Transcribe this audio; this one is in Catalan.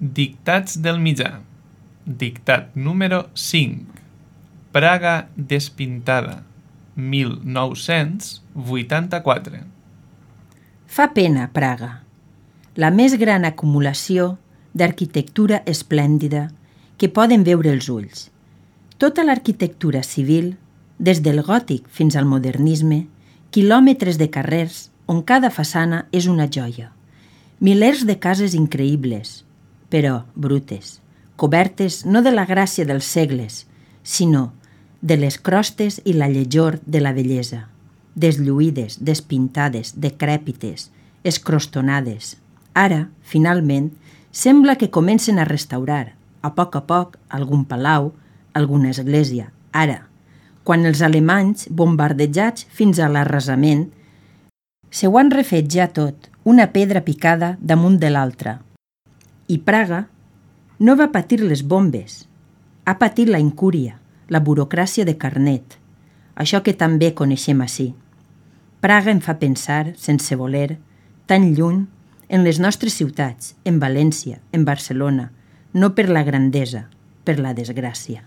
Dictats del mitjà. Dictat número 5. Praga despintada, 1984. Fa pena, Praga. La més gran acumulació d'arquitectura esplèndida que poden veure els ulls. Tota l'arquitectura civil, des del gòtic fins al modernisme, quilòmetres de carrers on cada façana és una joia. Milers de cases increïbles, però brutes, cobertes no de la gràcia dels segles, sinó de les crostes i la lletjor de la bellesa, deslluïdes, despintades, decrèpites, escrostonades. Ara, finalment, sembla que comencen a restaurar, a poc, algun palau, alguna església. Ara, quan els alemanys, bombardejats fins a l'arrasament, se ho han refet ja tot, una pedra picada damunt de l'altra. I Praga no va patir les bombes, ha patit la incúria, la burocràcia de Carnet, això que també coneixem ací. Praga em fa pensar, sense voler, tan lluny, en les nostres ciutats, en València, en Barcelona, no per la grandesa, per la desgràcia.